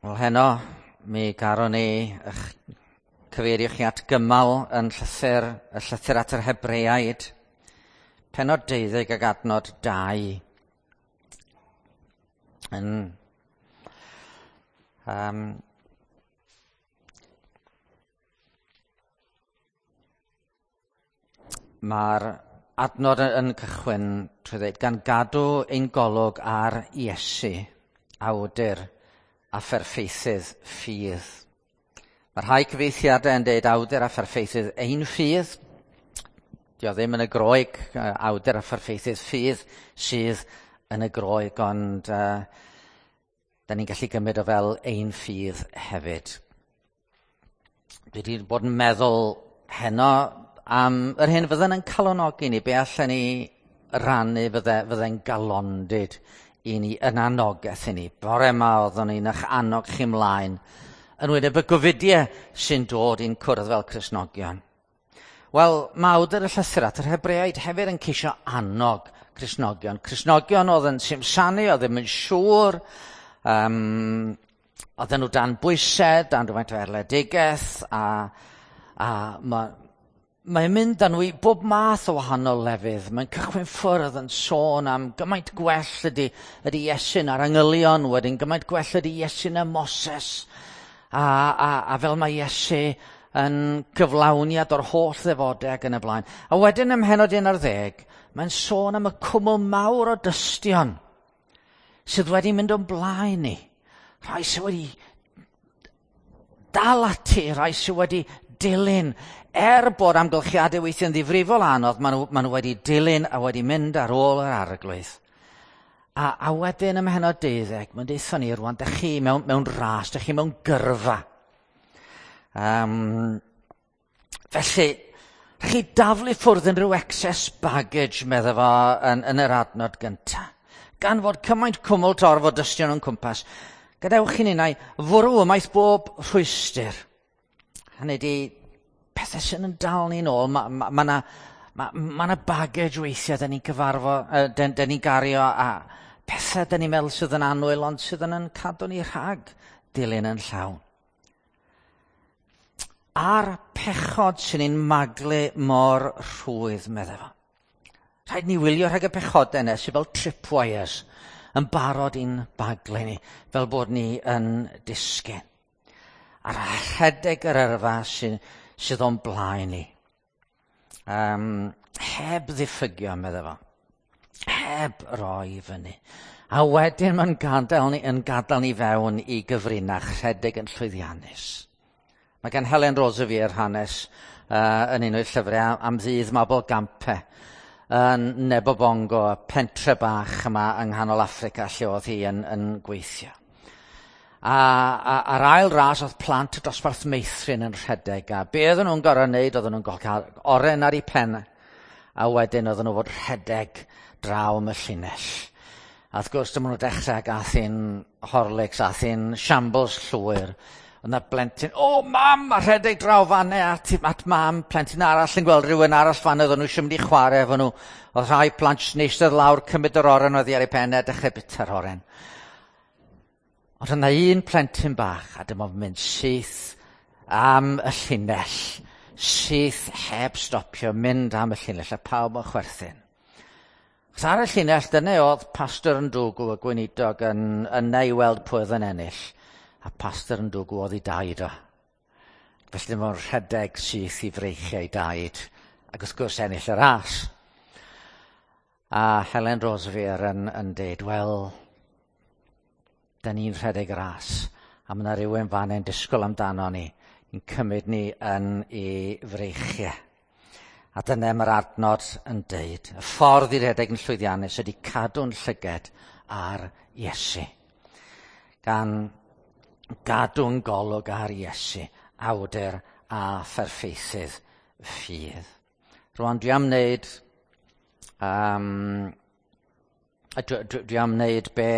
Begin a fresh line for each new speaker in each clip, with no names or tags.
Wel heno, mi garon ni eich cyfeirio chi at gymal yn llythyr, y llythyr at yr Hebreaid, pennod 12 ag adnod 2. Yn, um, Mae'r adnod yn cychwyn trwy ddweud, gan gadw ein golwg ar Iesu, awdur a pherffeithydd ffydd. Mae rhai cyfieithiadau yn dweud awdur a pherffeithydd ein ffydd. Dio ddim yn y Groeg, awdur a pherffeithydd ffydd sydd yn y Groeg, ond da ni'n gallu gymryd o fel ein ffydd hefyd. Dwi wedi bod yn meddwl heno am yr hyn fydden yn calonogi ni, be allan ni rannu fydde'n galondid i ni, yn anogaeth i ni. Bore yma oeddwn ni'n eich annog chi mlaen yn wyneb y gofidiau sy'n dod i'n cwrdd fel Cristnogion. Wel, mae awdur y llythyr at yr Hebreaid hefyd yn ceisio annog Cristnogion. Cristnogion oedd yn simsanu, oedd ddim yn siŵr, oedden nhw dan bwysau, dan rhywfaint o erledigaeth, a mae'n mynd â nhw i bob math o wahanol lefydd. Mae'n cychwyn ffwrdd yn sôn am gymaint gwell ydy Iesu na'r angylion, wedyn gymaint gwell ydy Iesu na Moses. A fel mae Iesu yn gyflawniad o'r holl ddefodau ac yn y blaen. A wedyn ym mhennod 11, mae'n sôn am y cwmwl mawr o dystion sydd wedi mynd o'n blaen ni. Rhai sydd wedi dal ati, rhai sydd wedi dilyn. Er bod amgylchiadau weithiau'n ddifrifol anodd, maen nhw wedi dilyn a wedi mynd ar ôl yr arglwydd. A wedyn ym mhennod 12, mae'n deutha ni rwan, dych chi mewn ras, dych chi mewn gyrfa. Felly, chi daflu ffwrdd unrhyw excess baggage, medda fo yn yr adnod gyntaf. Gan fod cymaint cwmwl torf o dystion o'n cwmpas, gadewch i ninnau fwrw ymaith bob rhwystr. Hynny ydi, pethau sy'n yn dal ni'n ôl, mae yna baggage weithiau da ni'n cyfarfod, da ni'n gario, a pethau da ni'n meddwl sydd yn annwyl, ond sydd yn cadw ni rhag dilyn yn llawn. A'r pechod sy'n ni'n maglu mor rhwydd, meddai fo. Rhaid ni wylio rhag y pechodau yna sydd fel tripwires yn barod i'n baglu ni, fel bod ni yn disgyn. A'r rhedeg yr yrfa sydd o'n blaen ni. Heb ddiffygio, meddai fo. Heb roi fyny. A wedyn mae'n gadael ni fewn i gyfrinach rhedeg yn llwyddiannus. Mae gan Helen Roseveare hanes yn un o'i llyfrau am ddydd Mabolgampe yn Nebobongo, y pentre bach yma yng nghanol Affrica lle oedd hi yn gweithio. A'r ail ras oedd plant y dosbarth meithrin yn rhedeg, a be oedden nhw'n gorfod wneud, oedden nhw'n gorfod cael oren ar eu pen, a wedyn oedden nhw fod rhedeg draw am y llinell. A wrth gwrs, dyma nhw'n dechrau ac ath hi'n Horlicks, ath hi'n shambles llwyr. Oedd 'na blentyn, o mam, a rhedeg draw fanne at mam, plentyn arall yn gweld rhywun arall fanne, oedden nhw eisiau mynd i chwarae efo nhw. Oedd rhai plant jyst yn eistedd lawr, cymryd yr oren oddi ar ei pen a dechrau bwyta'r oren. Ond yna un plentyn bach, a dyma fo'n mynd syth am y llinell, syth heb stopio, mynd am y llinell, a pawb yn chwerthin. Achos ar y llinell, dyna oedd Pastor Ndwgw, y gweinidog, yna i weld pwy oedd yn ennill. A Pastor Ndwgw oedd ei daid o. Felly dyma fo'n rhedeg syth i freichiau ei daid, ac wrth gwrs ennill y ras. A Helen Roseveare yn deud, wel, da ni'n rhedeg ras, a mae yna rhywun fan yn disgwyl amdano ni, yn cymryd ni yn ei freichiau. A dyna mae'r adnod yn deud, y ffordd i redeg yn llwyddiannus ydy cadw'n llyged ar Iesu. Gan gadw'n golwg ar Iesu, awdur a pherffeithydd ffydd. Rwan dwi am wneud dwi am wneud be...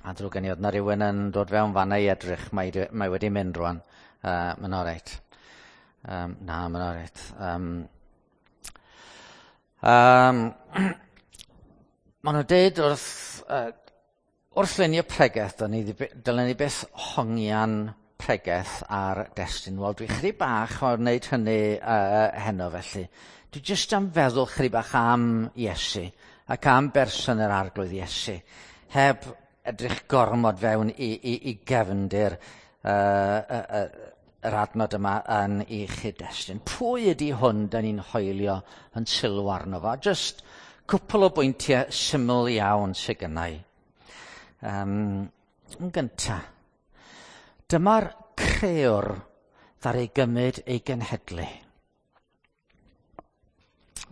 A drwg gen i, oedd 'na rhywun yn dod fewn fanna i edrych, mae wedi mynd rwan. Mae'n oreit. Na, mae'n oreit. Maen nhw'n deud wrth Wrth lunio pregeth, dylen ni byth hongian pregeth ar destun. Wel, dwi chydig bach o'r wneud hynny heno felly. Dwi jyst am feddwl chydig bach am Iesu ac am berson yr Arglwydd Iesu, heb edrych gormod fewn i gefndir yr adnod yma yn ei chyd-destun. Pwy ydy hwn da ni'n hoelio yn sylw arno fo? Jyst cwpl o bwyntiau syml iawn sydd gynna i. Yn gyntaf, dyma'r crëwr ddaru gymryd ei genhedlu.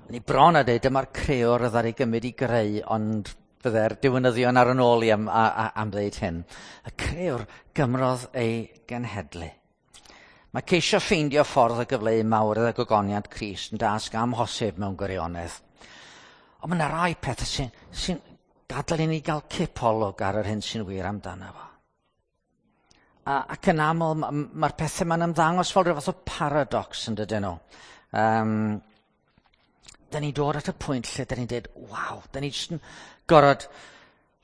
Ni bron a dweud dyma'r crëwr ddaru gymryd i greu, ond fydde'r diwinyddion ar yn ôl i am ddeud hyn. Y crëwr gymrodd ei genhedlu. Mae ceisio ffeindio ffordd o gyfleu mawredd a gogoniant Crist yn dasg amhosib mewn gwirionedd. Ond mae yna rai pethau sy'n gadael i ni gael cipolwg ar yr hyn sy'n wir amdano fo. Ac yn aml, mae'r pethau ma'n ymddangos fel rhyw fath o paradox yn dydyn nhw. Da ni'n dod at y pwynt lle da ni'n dweud, waw, da ni jyst yn gorfod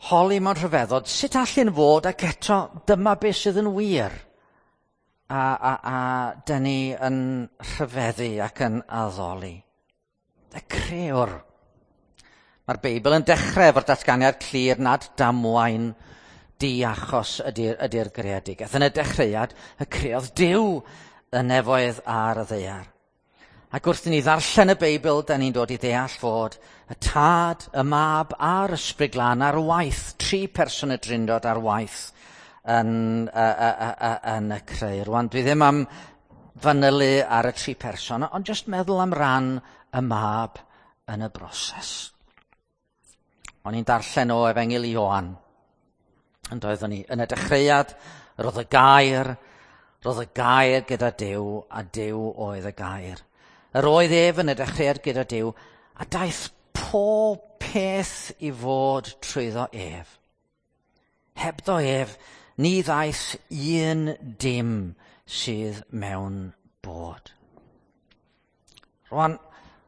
holi mewn rhyfeddod, sut allan fod ac eto dyma beth sydd yn wir. A da ni yn rhyfeddu ac yn addoli. Y crëwr. Mae'r Beibl yn dechrau efo'r datganiad clir nad damwain diachos ydy'r greadigaeth. Yn y dechreuad, y creodd Duw y nefoedd a'r ddaear. Ac wrth i ni ddarllen y Beibl, da ni'n dod i ddeall fod y Tad, y Mab a'r Ysbryd Glân ar waith, tri person y Drindod ar waith yn y creu. Rwan, dwi ddim am fanylu ar y tri person, ond jyst meddwl am ran y Mab yn y broses. O'n i'n darllen o Efengyl Ioan, yn doeddwn ni. Yn y dechreuad, roedd y gair gyda Duw, a Duw oedd y gair. Yr oedd ef yn y dechreuad gyda Duw, a daeth pob peth i fod trwyddo ef. Hebddo ef, ni ddaeth un dim sydd mewn bod. Rwan,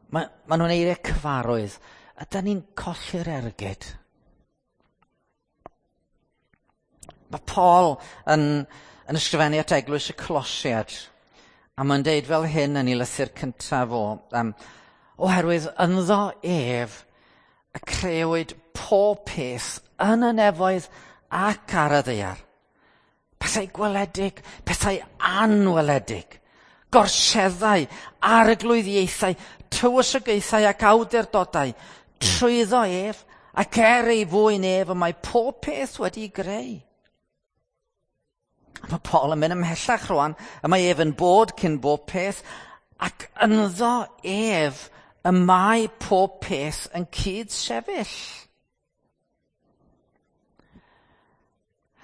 ma nhw'n eiriau cyfarwydd. Ydan ni'n colli'r ergyd? Mae Paul yn ysgrifennu at eglwys y Colosiaid, a mae'n deud fel hyn yn ei lythyr cyntaf o, oherwydd ynddo ef y crëwyd pob peth yn y nefoedd ac ar y ddaear. Pethau gweledig, pethau anweledig, gorseddau, arglwyddiaethau, tywysogaethau ac awdurdodau, trwyddo ef ac er ei fwyn ef y mae pob peth wedi'i greu. A mae Paul yn mynd ymhellach rwan, y mae ef yn bod cyn bob peth, ac ynddo ef y mae pob peth yn cyd-sefyll.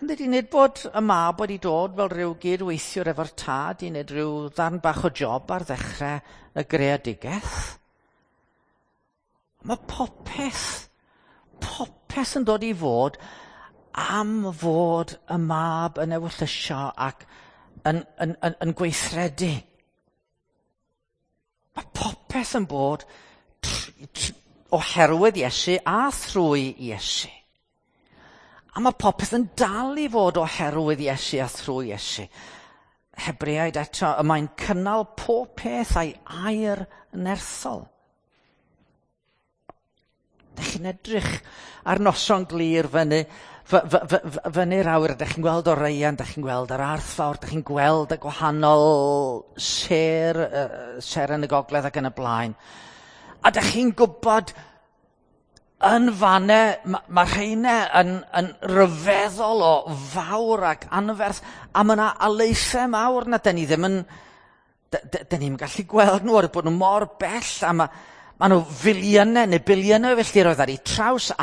Ydy, nid bod y mab wedi dod fel rhyw gydweithiwr efo'r tad i wneud rhyw ddarn bach o job ar ddechrau y greadigaeth. Mae popeth yn dod i fod am fod y mab yn ewyllysio ac yn gweithredu. Mae popeth yn bod oherwydd Iesu a thrwy Iesu. A mae popeth yn dal i fod oherwydd Iesu a thrwy Iesu. Hebreaid eto, y mae'n cynnal pob peth a'i air nerthol. Dych chi'n edrych ar noson glir fyny'r awyr, dych chi'n gweld Orion, dych chi'n gweld yr Arth Fawr, dych chi'n gweld y gwahanol sêr yn y gogledd ac yn y blaen. A dych chi'n gwybod yn fanne, mae rheina yn ryfeddol o fawr ac anferth, a mae yna alaethau mawr na dyn ni ddim yn, dyn ni'n gallu gweld nhw, oherwydd bod nhw mor bell, a mae nhw filiynau neu biliynau o filltiroedd ar eu traws, a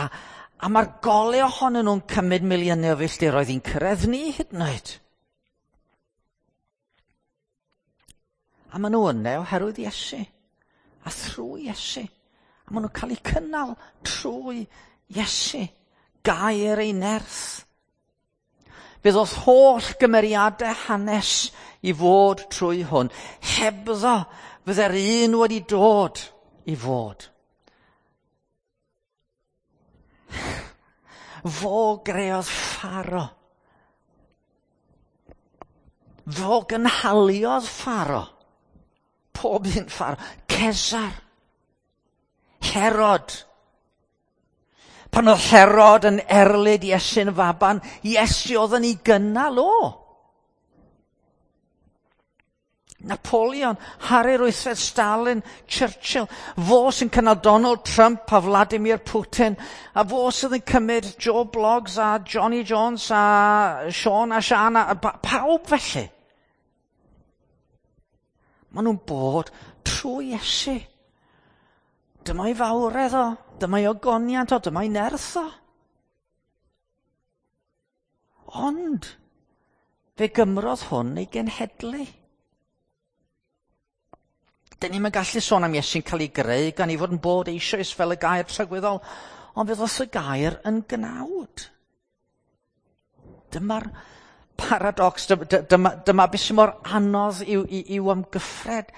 mae'r golau ohonyn nhw'n cymryd miliynau o filltiroedd i'n cyrraedd ni hyd yn oed. A maen nhw yna oherwydd Iesu, a thrwy Iesu. A maen nhw'n cael eu cynnal trwy Iesu, gair ei nerth. Fe ddoth holl gymeriadau hanes i fod trwy hwn. Hebddo fydde'r un wedi dod i fod. Fo greodd Pharo. Fo gynhaliodd Pharo. Pob un Pharo. Cesar. Herod. Pan oedd Herod yn erlid Iesu'n faban, Iesu oedd yn ei gynnal o. Napoleon, Harri'r Wythfed, Stalin, Churchill, fo sy'n cynnal Donald Trump a Vladimir Putin, a fo sydd yn cymryd Joe Bloggs a Johnny Jones a Sean a Sian a pawb felly. Maen nhw'n bod trwy Iesu. Dyma'i fawredd o, dyma'i ogoniant o, dyma'i nerth o. Ond fe gymrodd hwn ei genhedlu. Dyn ni'm yn gallu sôn am Iesu'n cael ei greu gan ei fod yn bod eisoes fel y gair tragwyddol, ond fe ddoth y gair yn gnawd. Dyma'r paradox, dyma beth sy'n mor anodd i'w amgyffred.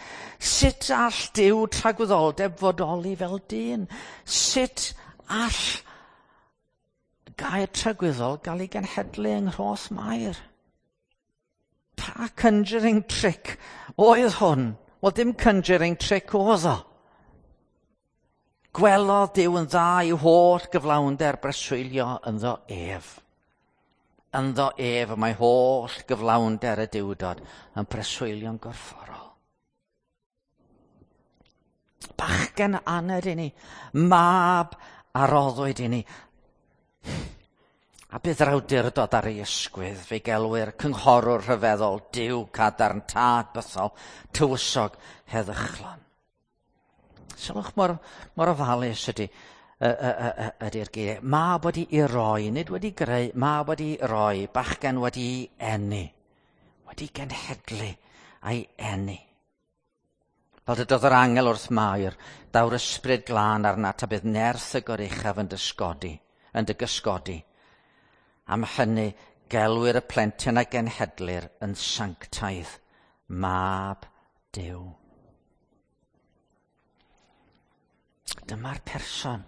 Sut all Duw tragwyddoldeb fodoli fel dyn? Sut all gair tragwyddol gael ei genhedlu yng nghroth Mair? Pa conjuring trick oedd hwn? Wel, dim conjuring trick oedd o. Gwelodd Duw yn dda i'w holl gyflawnder breswylio ynddo ef. Ynddo ef y mae holl gyflawnder y Duwdod yn preswylio'n gorfforol. Bachgen aned i ni, mab a roddwyd i ni. A bydd yr awdurdod ar ei ysgwydd, fe gelwir cynghorwr rhyfeddol, Duw cadarn, tad bythol, tywysog heddychlon. Sylwch mor ofalus ydy'r geiriau. Mab wedi ei roi, nid wedi greu, mab wedi roi, bachgen wedi eni, wedi genhedlu a'i eni. Fel dydodd yr angel wrth Mair, daw'r ysbryd glân arnat a bydd nerth y goruchaf yn dy gysgodi. Am hynny, gelwir y plentyn a genhedlir yn sanctaidd, mab Duw. Dyma'r person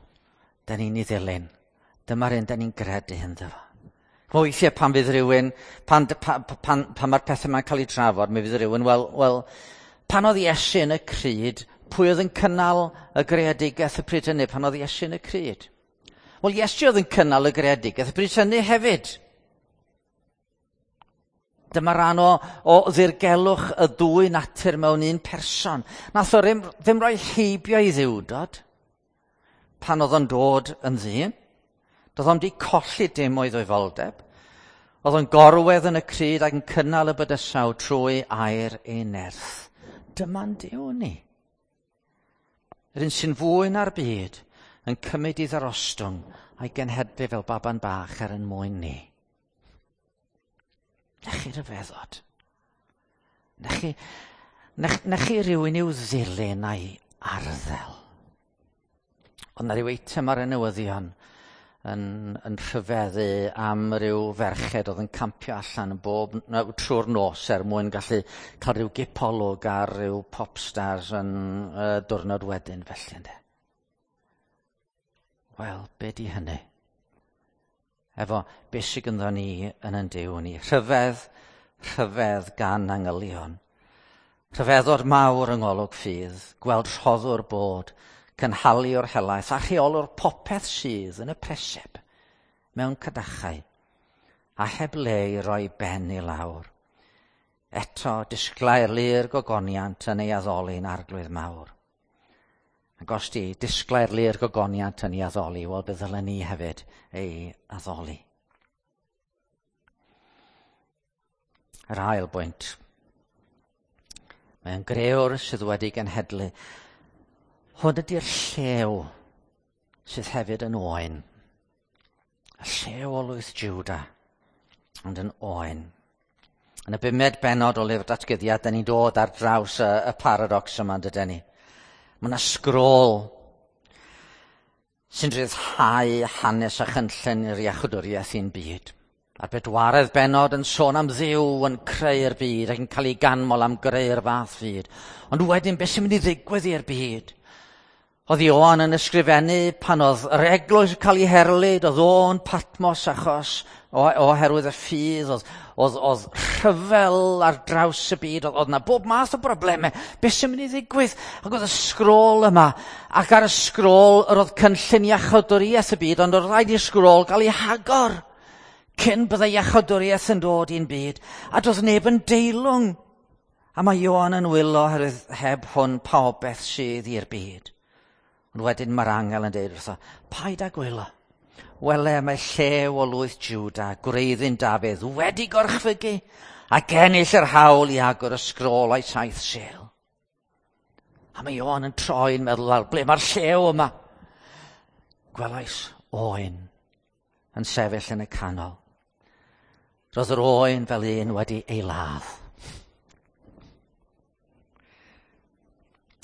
da ni'n ei ddilyn. Dyma'r un da ni'n gredu ynddo fo. Weithiau pan fydd rhywun, pan mae'r pethau yma'n cael ei trafod, mi fydd rhywun, wel, pan oedd Iesu yn y cryd, pwy oedd yn cynnal y greadigaeth y pryd hynny pan oedd Iesu yn y cryd? Wel, Iesu oedd yn cynnal y greadigaeth y pryd hynny hefyd. Dyma ran o ddirgelwch y ddwy natur mewn un person. Nath o ddim rhoi heibio i ddiwdod pan oedd o'n dod yn ddyn. Doedd o'm di colli dim o'i ddwyfoldeb. Oedd o'n gorwedd yn y cryd ac yn cynnal y bydysawd trwy air ei nerth. Dyma'n Duw ni. Yr un sy'n fwy na'r byd yn cymryd i ddarostwng a'i genhedlu fel baban bach er yn mwyn ni. Na chi ryfeddod. Na chi rhywun i'w ddilyn a'i arddel. Ond na ryw eitem ar y newyddion yn rhyfeddu am ryw ferched oedd yn campio allan yn bob trwy'r nos er mwyn gallu cael rhyw gipolwg ar ryw popstars yn diwrnod wedyn felly ynde. Wel, be di hynny? Efo beth sydd ganddo ni yn ein Duw ni. Rhyfedd, rhyfedd gan angylion. Rhyfeddod mawr yng ngolwg ffydd, gweld rhoddwr bod, cynhaliwr helaeth a rheolwr popeth sydd yn y preseb mewn cadachau, a heb le i roi ben i lawr. Eto disglair lu'r gogoniant yn ei addoli'n arglwydd mawr. Ac os di disglair lu'r gogoniant yn ei addoli, wel bydd ddylen ni hefyd ei addoli. Yr ail bwynt. Mae'n grëwr sydd wedi genhedlu. Hwn ydy'r llew sydd hefyd yn oen. Y llew o lwyth Juda, ond yn oen. Yn y bumed bennod o lyfr Datguddiad, da ni'n dod ar draws y paradox yma, dydyn ni. Mae yna sgrôl sy'n rhyddhau hanes a chynllun i'r iachwdwriaeth i'n byd. A'r bedwaredd bennod yn sôn am Dduw yn creu'r byd ac yn cael ei ganmol am greu'r fath fyd. Ond wedyn, beth sy'n mynd i ddigwydd i'r byd? Oedd Ioan yn ysgrifennu pan oedd yr eglwys yn cael ei herlid, oedd o'n Patmos achos oherwydd y ffydd, oedd rhyfel ar draws y byd, oedd 'na bob math o broblemau. Beth sy'n mynd i ddigwydd? Ac oedd y sgrôl yma, ac ar y sgrôl yr oedd cynllun iachawdwriaeth y byd, ond oedd rhaid i'r sgrôl gael ei hagor cyn byddai iachawdwriaeth yn dod i'n byd, a doedd neb yn deilwng. A mae Ioan yn wylo oherwydd heb hwn pa beth sydd i'r byd. Ond wedyn mae'r angel yn deud wrtho, paid â gwylo. Wele, mae llew o lwyth Jwda, gwreiddyn Dafydd, wedi gorchfygu ac ennill yr hawl i agor y sgrôl a'i 7 sêl. A mae Ioan yn troi'n meddwl, wel, ble mae'r llew yma? Gwelais oen yn sefyll yn y canol. Roedd yr oen fel un wedi ei ladd.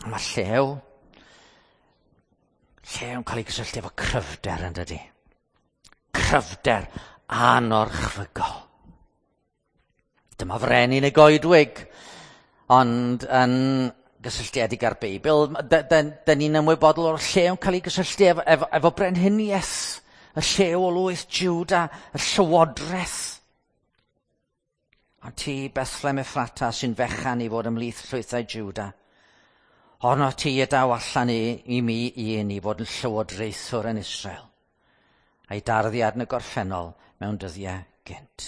A mae llew yn cael ei gysylltu efo cryfder yn dydi. Cryfder anorchfygol. Dyma frenin y goedwig, ond yn gysylltiedig â'r Beibl, dyn ni'n ymwybodol o'r llew yn cael ei gysylltu efo brenhiniaeth, y llew o lwyth Jwda, y llywodraeth. A ti, Bethlehem Ephrata, sy'n fechan i fod ymhlith llwythau Jwda, honno ti y daw allan i mi un i fod yn llywodraethwr yn Israel, a'i darddiad yn y gorffennol mewn dyddiau gynt.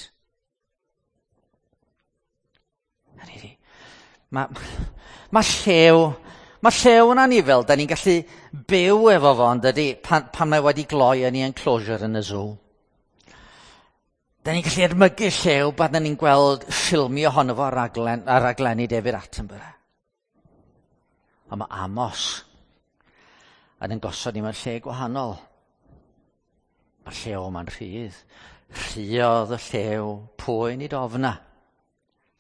Mae llew yn anifel, da ni'n gallu byw efo fo, ond dydy, pan mae wedi gloi yn ei enclosure yn y zoo. Da ni'n gallu edmygu llew pan da ni'n gweld ffilmio ohono fo ar raglenni David Attenborough. Ond mae Amos yn gosod ni mewn lle gwahanol. Mae'r llew yma'n rhydd. Rhuodd y llew, pwy nid ofna?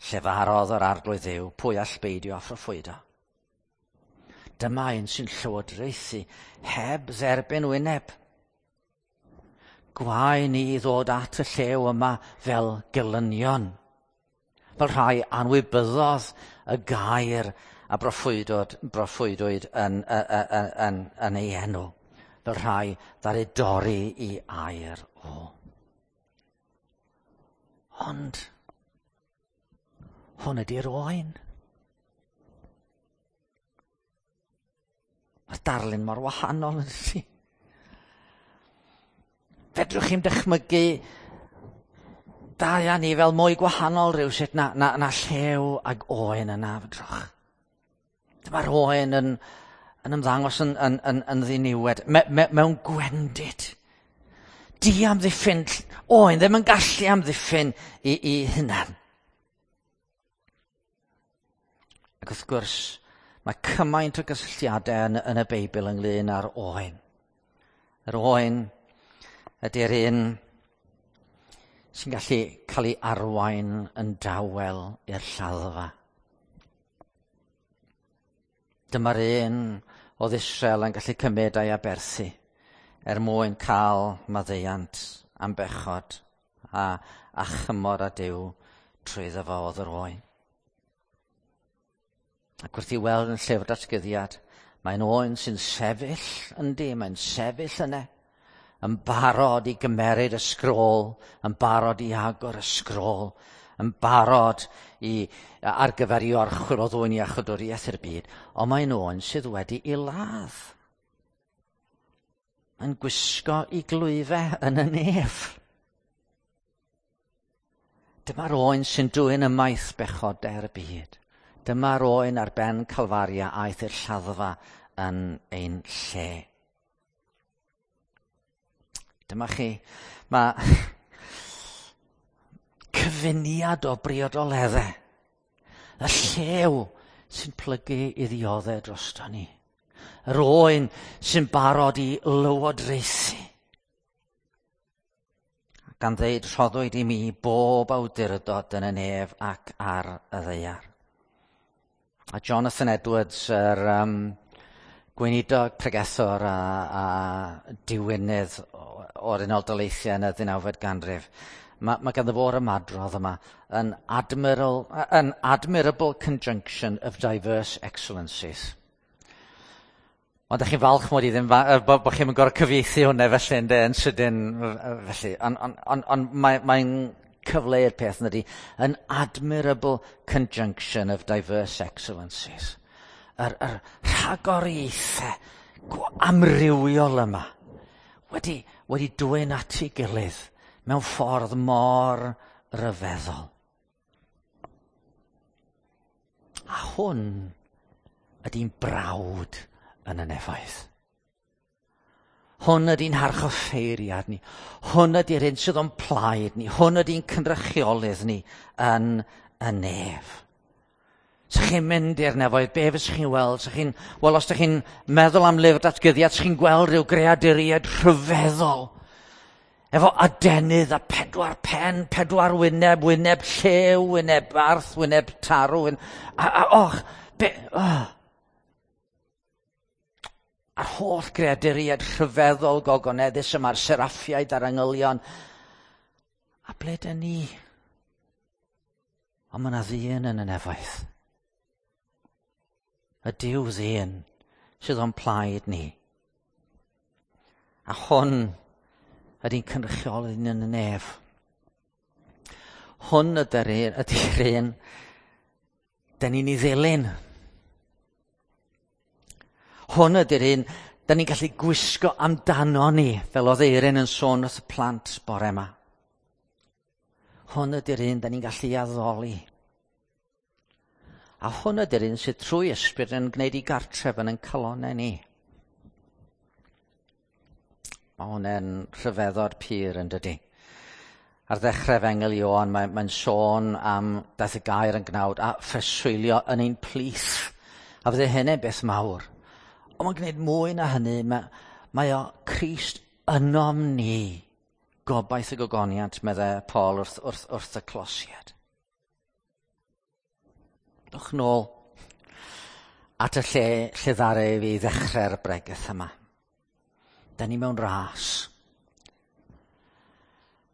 Llefarodd yr arglwydd Dduw, pwy all beidio â phroffwydo? Dyma un sy'n llywodraethu heb dderbyn wyneb. Gwae ni ddod at y llew yma fel gelynion, fel rhai anwybyddodd y gair a broffwydwyd yn ei enw, fel rhai ddaru dorri i air o. Ond hwn ydy'r oen. Mae'r darlun mor wahanol yn dydi. Fedrwch chi'm dychmygu dau â ni fel mwy gwahanol rhywsut na llew ag oen yna, fedrwch. Dyma'r oen yn ymddangos yn ddiniwed, mewn gwendid. Di amddiffyn, oen ddim yn gallu amddiffyn i hunan. Ac wrth gwrs, mae cymaint o gysylltiadau yn y Beibl ynglyn â'r oen. Yr oen ydy'r un sy'n gallu cael ei arwain yn dawel i'r lladdfa. Dyma'r un oedd Israel yn gallu cymryd a'i aberthu er mwyn cael maddeuant am bechod a chymor â Duw trwyddo fo oedd yr oen. Ac wrth i weld yn llyfr datguddiad, mae'n oen sy'n sefyll yndi, mae'n sefyll yna, yn barod i gymeryd y sgrôl, yn barod i agor y sgrôl, yn barod ar gyfer i orchwyl o ddwyn iachawdwriaeth i'r byd, ond mae'n oen sydd wedi ei ladd. Mae'n gwisgo i glwyfau yn y nef. Dyma'r oen sy'n dwyn ymaith bechodau'r byd. Dyma'r oen ar ben Calfaria aeth i'r lladdfa yn ein lle. Dyma chi, mae cyfuniad o briodoleddau. Y llew sy'n plygu i ddioddau drosto ni. Yr oen sy'n barod i lywodraethu. Gan ddeud, rhoddwyd i mi bob awdurdod yn y nef ac ar y ddaear. A Jonathan Edwards, yr gweinidog pregethwr a diwynydd o'r Unol Daleithiau yn y 19fed ganrif, mae ganddo fo'r ymadrodd yma, an admirable conjunction of diverse excellencies. Ond ydych chi'n falch mod i ddim, bod chi'n gorfod cyfieithu hwnna felly, ynde, yn sydyn felly. Ond on, on, on, mae'n mae cyfleu'r peth yn ydy, an admirable conjunction of diverse excellencies. Yr, yr rhagoriaethau amrywiol yma wedi, wedi dwyn at ei gilydd mewn ffordd mor ryfeddol. A hwn ydy'n brawd yn y nefoedd. Hwn ydy'n harchoffeiriad ni. Hwn ydy'r un sydd o'n plaid ni. Hwn ydy'n cynrychiolydd ni yn y nef. Sa chi'n mynd i'r nefoedd, be fysych chi'n weld? Sa chi'n, wel, os ydych chi'n meddwl am lyfr datgyddiad, sa chi'n gweld rhyw greaduriaid rhyfeddol. Efo adenydd a pedwar pen, pedwar wyneb, wyneb llew, wyneb arth, wyneb tarw. Wyn, a, a, och, be, oh. A'r holl greaduriaid rhyfeddol gogoneddus yma'r seraffiaid a'r angylion. A ble dyn ni? Ond mae yna ddyn yn y nefoedd. Y Duw ddyn sydd o'n plaid ni. A hwn ydy'n cynrychiolydd yn y nef. Hwn ydy'r un dyn ni'n ei ddilyn. Hwn ydy'r un da ni'n gallu gwisgo amdano ni, fel oedd Eirin yn sôn wrth y plant bore yma. Hwn ydy'r un da ni'n gallu addoli. A hwn ydy'r un sydd trwy ysbryd yn gwneud i gartref yn ein calonau ni. Mae hwnna'n rhyfeddod pur yn dydy. Ar ddechrau Efengyl Ioan, mae'n mae sôn am daeth y gair yn gnawd a phreswylio yn ein plith. A fydde hynny'n beth mawr. Ond mae'n gwneud mwy na hynny. Mae, mae o Crist ynom ni. Gobaith y gogoniant, meddai Paul wrth, wrth, wrth y closiad. Dwch nôl at y lle lle ddaru fi ddechrau'r bregeth yma. Da ni mewn ras.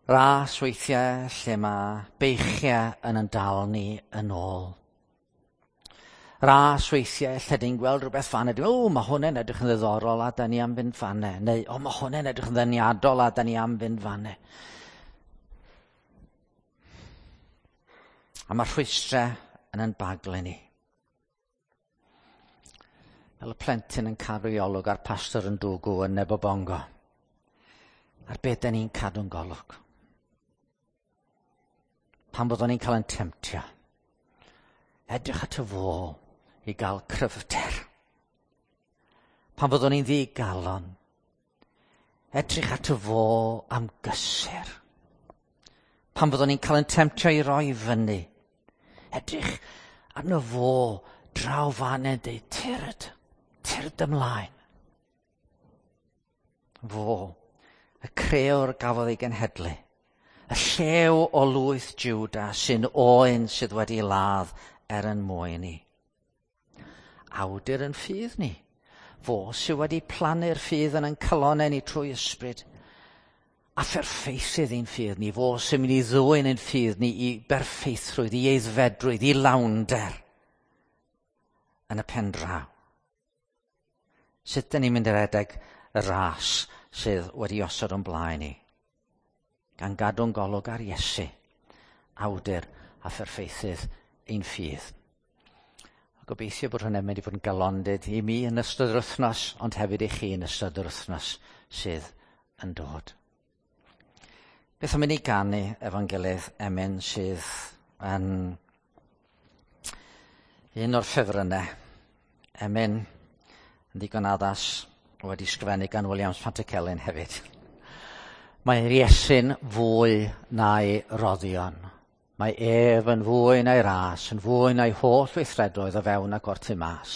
Ras weithiau lle mae beichiau yn yn dal ni yn ôl. Ras weithiau lle dyn gweld rhywbeth fan ydy, o, mae hwnna'n edrych yn ddiddorol a da ni am fynd fanne. Neu, o, mae hwnna'n edrych yn ddeniadol a da ni am fynd fanne. A mae rhwystrau yn yn baglu ni. Fel y plentyn yn cadw i olwg a'r pastor yn dwgw yn Nebobongo. Ar beth da ni'n cadw'n golwg. Pan byddwn ni'n cael yn temtio. Edrych at y fo i gael cryfder. Pan fyddwn ni'n ddigalon. Edrych at y fo am gysur. Pan fyddwn ni'n cael yn temtio i roi fyny. Edrych arno fo draw fan yn deud, tyrd, tyrd ymlaen. Fo, y creor gafodd ei genhedlu, y llew o lwyth Juda sy'n oen sydd wedi ladd er yn mwyn ni. Awdur yn ffydd ni. Fo sydd wedi plannu'r ffydd yn ein calonau ni trwy ysbryd. A pherffeithydd ein ffydd ni. Fo sy'n mynd i ddwyn ein ffydd ni i berffeithrwydd, i eiddfedrwydd, i lawnder yn y pen draw. Sut dyn ni'n mynd i redeg y ras sydd wedi osod o'n blaen ni? Gan gadw'n golwg ar Iesu, awdur a pherffeithydd ein ffydd. A gobeithio bod hwnna'n mynd i fod yn galondid i mi yn ystod yr wythnos, ond hefyd i chi yn ystod yr wythnos sydd yn dod. Beth am i ni ganu efo'n gilydd emyn sydd yn un o'r ffefrynnau. Emyn yn ddigon addas wedi sgrifennu gan Williams Pantycelyn hefyd. Mae'r Iesu'n fwy na'i roddion. Mae ef yn fwy na'i ras, yn fwy na'i holl weithredoedd o fewn ac o'r tu mas.